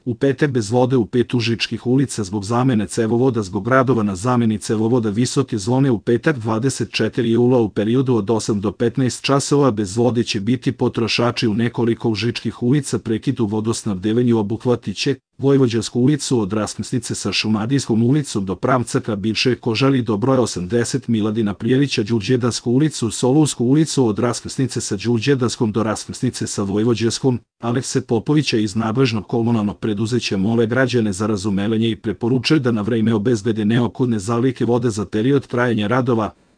U petak bez vode u 5 užičkih ulica zbog zamene cevovoda zbog radova na zameni cevovoda Visoke zone u petak 24. jula u periodu od 8 do 15 časova bez vode će biti potrošači u nekoliko užičkih ulica. Prekid u vodosnabdevanju obuhvatit će Vojvođansku ulicu od raskrsnice sa Šumadijskom ulicom do pravca ka bivšoj Kožari do broja 80 Miladina Prijevića, Đurđedansku ulicu, Solunsku ulicu od raskrsnice sa Đurđedanskom do raskrsnice sa Vojvođanskom. Alekse Popovića iz nadležnog komunalnog preduzeća mole građane za razumevanje i preporučuju da na vreme obezbede neophodne zalihe vode za period trajanja radova.